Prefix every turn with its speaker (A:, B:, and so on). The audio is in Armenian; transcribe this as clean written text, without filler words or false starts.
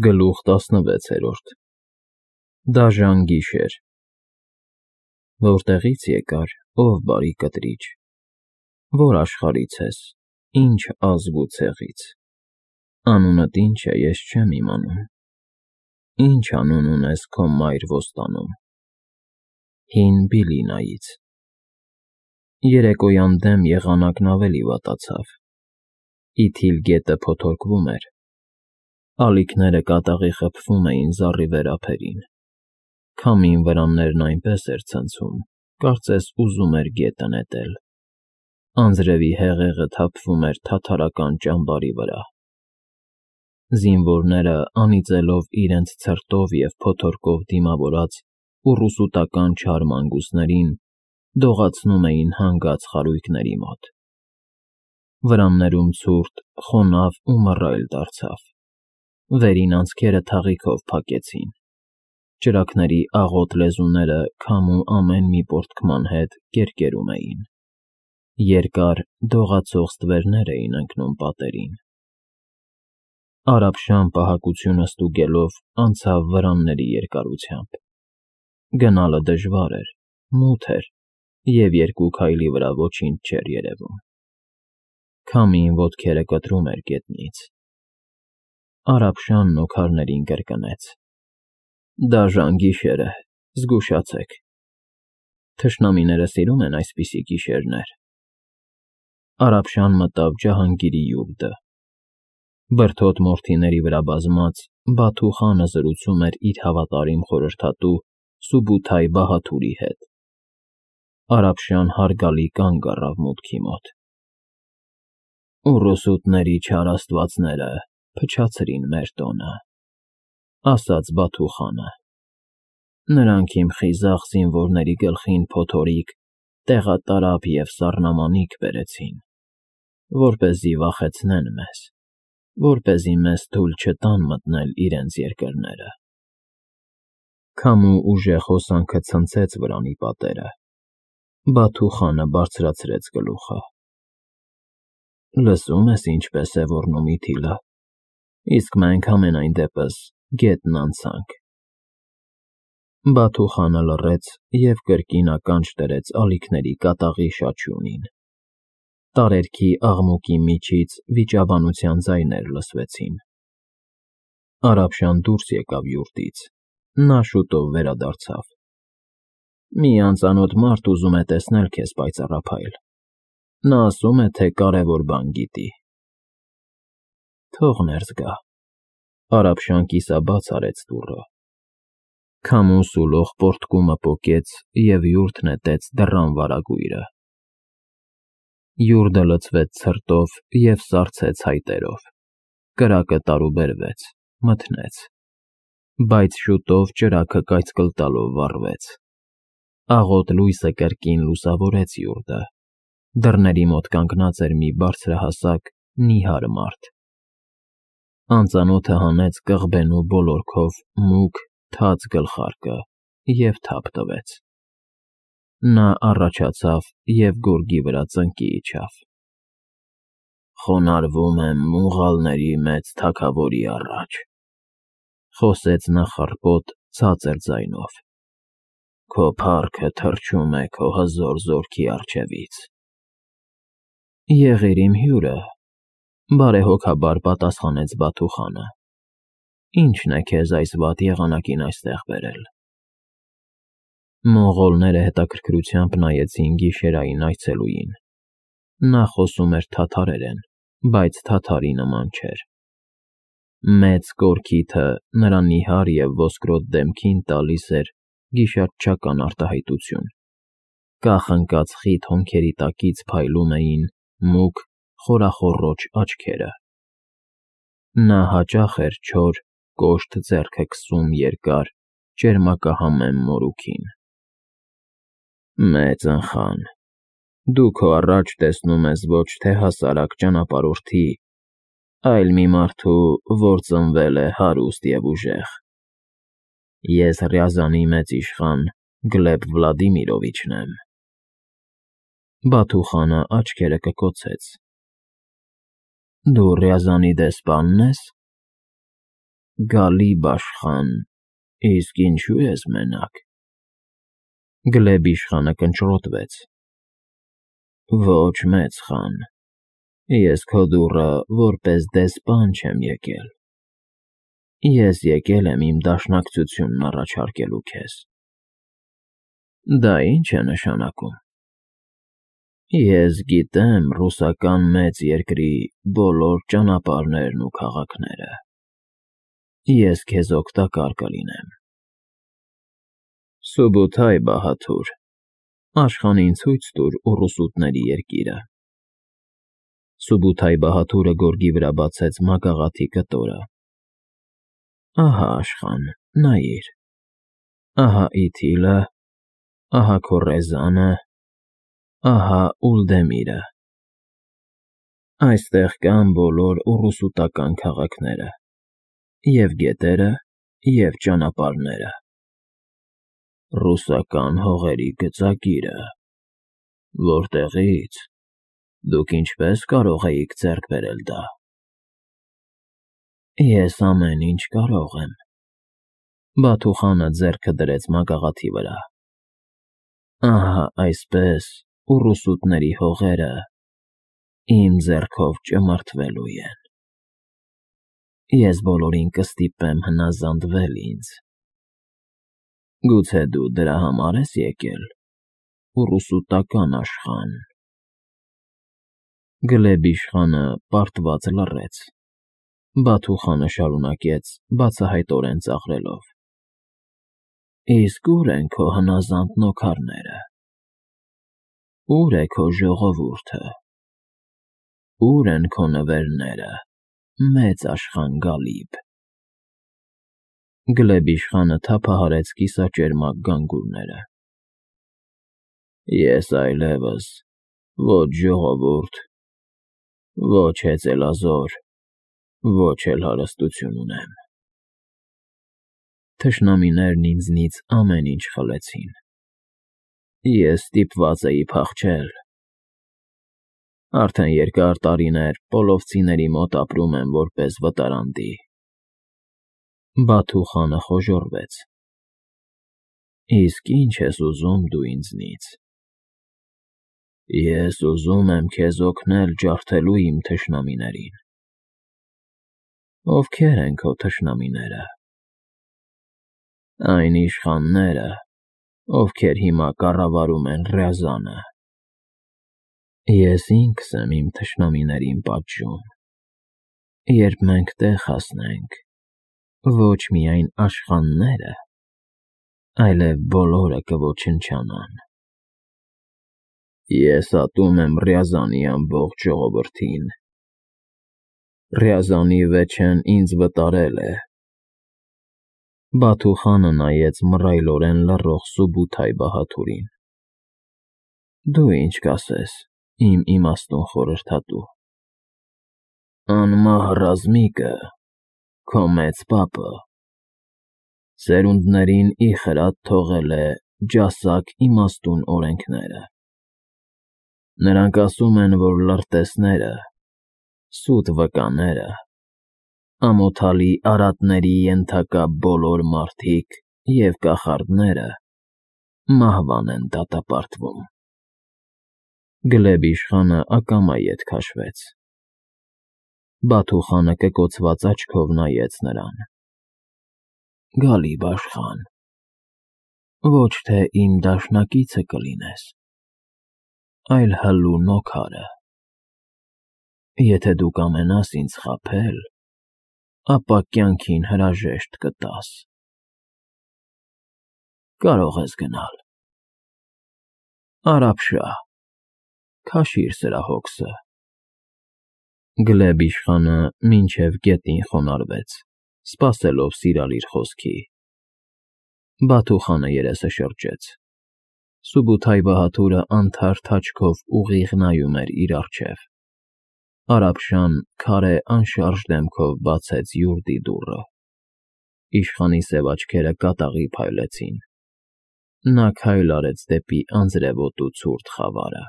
A: Գլուխ 16 Դաժան գիշեր Որտեղից եկար, ով բարի կտրիչ, որ աշխարհից ես, ինչ ազգ ու ցեղից, անունդ ինչ է, ես չեմ իմանում, ինչ անուն ունես քո մայր ոստանում, հին Բիլինայից, երեկոյան դեմ եղանակն ավելի վատացավ, իթիլ գետը փոթորկվում էր, ալիքները կատաղի խփվում էին զառի վերափերին, քամին վրաններն այնպես էր ցնցում, կարծես ուզում էր գետը նետել, անձրևի հեղեղը թափվում էր թաթարական ճամբարի վրա, զինվորները անիծելով իրենց ցրտով և փոթորկով դիմավորած ուռուսուտական չար մանգուսներին, դողացնում էին հանգած խարույկների մոտ, վրաններում ցուրտ, խոնավ ու մռայլ դարձավ, վերին անցքերը թաղիքով փակեցին, ճրագների աղոտ լեզուները քամու ամեն մի պոռթկման հետ կերկերում էին, երկար դողացող ստվերներ էին ընկնում պատերին, Արաբշան պահակությունը ստուգելով անցավ վրանների երկարությամբ, գնալը դժվար էր, մութ էր և երկու քայլի վրա ոչինչ չէր երևում, քամին ոտքերը կտրում էր գետնից, Արաբշանն օգարներին կրկնեց. Դաժան գիշեր է, զգուշացեք, թշնամիները սիրում են այսպիսի գիշերներ, Արաբշան մտավ Ջահանգիրի յուրտը, բրդոտ մորթիների վրա բազմած Բաթու խանը զրուցում էր իր հավատարիմ խորհրդատու Սուբութայ Բահաթուրի հետ, Արաբշան հարգալի կանգ առավ մուտքի մոտ, Ուռուսուտների չար աստվածները փչացրին մեր տոնը, ասաց Բաթու խանը, նրանք իմ խիզախ զինվորների գլխին փոթորիկ, տեղատարափ և սառնամանիք բերեցին, որպեսզի վախեցնեն մեզ, որպեսզի մեզ թույլ չտան մտնել իրենց երկրները, քամու ուժեղ հոսանքը ցնցեց վրանի պատերը, Բաթու խանը բարձրացրեց գլուխը, լսում ես ինչպես է ոռնում իթիլը, իսկ մենք համենայն դեպս գետն անցանք, Բաթու խանը լռեց և կրկին ականջ դրեց ալիքների կատաղի շաչյունին, տարերքի աղմուկի միջից վիճաբանության ձայներ լսվեցին, Արաբշան դուրս եկավ յուրտից, նա շուտով վերադարձավ, մի անծանոթ մարդ ուզում է տեսնել քեզ պայծառափայլ, նա ասում է, թե կարևոր բան գիտի, թող ներս գա, Արաբշան կիսաբաց արեց դուռը, քամու սուլող պոռթկումը պոկեց և յուրտ նետեց դռան վարագույրը, յուրտը լցվեց ցրտով և սառցեց հայտերով, կրակը տարուբերվեց, մթնեց, բայց շուտով ճրագը կայծկլ տալով վառվեց, աղոտ լույսը կրկին լուսավորեց յուրտը, դռների մոտ կանգնած էր մի բարձրահասակ, նիհար մարդ, անծանոթը հանեց կղբենու բոլորքով մուգ, թաց գլխարկը և թափ տվեց, նա առաջացավ և գորգի վրա ծնկի իջավ, խոնարհվում եմ մուղալների մեծ թագավորի առաջ, խոսեց նա խռպոտ, ցածր ձայնով, քո փառքը թռչում է քո հզոր զորքի առջևից, եղիր իմ հյուրը, բարեհոգաբար պատասխանեց Բաթու խանը, ինչն է քեզ այս վատ եղանակին այստեղ բերել, մոնղոլները հետաքրքրությամբ նայեցին գիշերային այցելուին, նա խոսում էր թաթարերեն, բայց թաթարի նման չէր, մեծ կորքիթը նրա նիհար և ոսկրոտ դեմքին տալիս էր գիշատչական արտահայտություն, կախ ընկած խիտ հոնքերի տակից փայլում էին մուգ, խորախոռոչ աչքերը, նա հաճախ էր չոր, կոշտ ձեռքը քսում երկար, ճերմակահամեմ մորուքին, մեծնխան, դու քո առաջ տեսնում ես ոչ թե հասարակ ճանապարհորդի, այլ մի մարդու, որ ծնվել է հարուստ և ուժեղ, ես Ռյազանի մեծ իշխան Գլեբ Վլադիմիրովիչն եմ, Բաթու խանը աչքերը կկոցեց, դու Ռյազանի դեսպա՞նն ես, Գալիբ աշխան, իսկ ինչու ես մենակ։ Գլեբ իշխանը կնճռոտվեց. Ոչ մեծ խան, ես քո դուռը որպես դեսպան չեմ եկել։ Ես եկել եմ իմ դաշնակցությունն առաջարկելու քեզ։ Դա ի՞նչ է նշանակում։ Ես գիտեմ ռուսական մեծ երկրի բոլոր ճանապարհներն ու քաղաքները։ Ես քեզ օգտակար կլինեմ։ Սուբութայ Բահաթուր, աշխանին ցույց տուր ուռուսուտների երկիրը։ Սուբութայ Բահաթուրը գորգի վրա բացեց մագաղաթի կտորը։ Ահա աշխան, նայիր։ Ահա Իթիլը, ահա քո Ռեզանը, ահա Ուլդեմիրը։ Այստեղ կան բոլոր ուռուսուտական քաղաքները, և գետերը, և ճանապարհները։ Ռուսական հողերի գծագիրը։ Որտեղի՞ց։ Դուք ինչպես կարող էիք ձեռք բերել դա։ Ես ամեն ինչ կարող եմ։ Բաթուխանը ձեռքը դրեց մագաղաթի վրա։ Ահա այսպես ուռուսուտների հողերը իմ ձեռքով ճմրթվելու են։ Ես բոլորին կստիպեմ հնազանդվել ինձ։ Գուցե դու դրա համար ես եկել, ուռուսուտական աշխան։ Գլեբ իշխանը պարտված լռեց։ Բաթուխանը շարունակեց բացահայտորեն ծաղրելով. Իսկ ուր են քո հնազանդ նոքարները։ Ուր է քո ժողովուրդը։ Ուր են քո նվերները, մեծ աշխան Գալիբ։ Գլեբ իշխանը թափահարեց կիսաճերմակ գանգուրները։ Ես այլևս ոչ ժողովուրդ, ոչ հեծելազոր, ոչ էլ հարստություն ունեմ։ Թշնամիներն ինձնից ամեն ինչ խլեցին։ Ես ստիպված էի փախչել։ Արդեն երկար տարիներ պոլովցիների մոտ ապրում եմ որպես վտարանդի։ Բաթուխանը խոժոռվեց։ Իսկ ի՞նչ ես ուզում դու ինձնից։ Ես ուզում եմ քեզ օգնել ջարդելու իմ թշնամիներին։ Ովքեր են քո թշնամիները։ Այն իշխանները, ովքեր հիմա կառավարում են Ռյազանը։ Ես ինքս եմ իմ թշնամիներին պատժում։ Երբ մենք տեղ հասնենք, ոչ միայն աշխանները, այլև բոլորը կոչնչանան։ Ես ատում եմ Ռյազանի ամբողջ ժողովրդին։ Ռյազանի վեճեն ինձ վտարել է։ Բաթուխանը նայեց մռայլորեն լռող Սուբութայ Բահաթուրին։ Դու ինչ կասես, իմ իմաստուն խորհրդատու։ Անմահ ռազմիկը, քո մեծ պապը, սերունդներին ի խրատ թողել է ջասակ իմաստուն օրենքները։ Նրանք ասում են, որ լրտեսները, սուտ վկաները, ամոթալի արատների ենթակա բոլոր մարդիկ և կախարդները մահվան են դատապարտվում։ Գլեբ իշխանը ակամա ետ քաշվեց։ Բաթուխանը կկոցված աչքով նայեց նրան։ Գալիբ աշխան, ոչ թե իմ դաշնակիցը կլինես, այլ հլու նոքարը։ Եթե դու կամենաս ինձ խաբել, ապա կյանքին հրաժեշտ կտաս։ Կարող ես գնալ։ Արաբշահ, քաշիր սրա հոգսը։ Գլեբ իշխանը մինչև գետին խոնարհվեց, սպասելով սիրալիր խոսքի։ Բաթուխանը երեսը շրջեց։ Սուբութայ Բահաթուրը անթարթ աչքով ուղիղ նայում էր իր առջև։ Արաբշան քարե անշարժ դեմքով բացեց յուրդի դուռը։ Իշխանի սև աչքերը կատաղի փայլեցին։ Նա քայլ արեց դեպի անձրևոտու ցուրտ խավարը։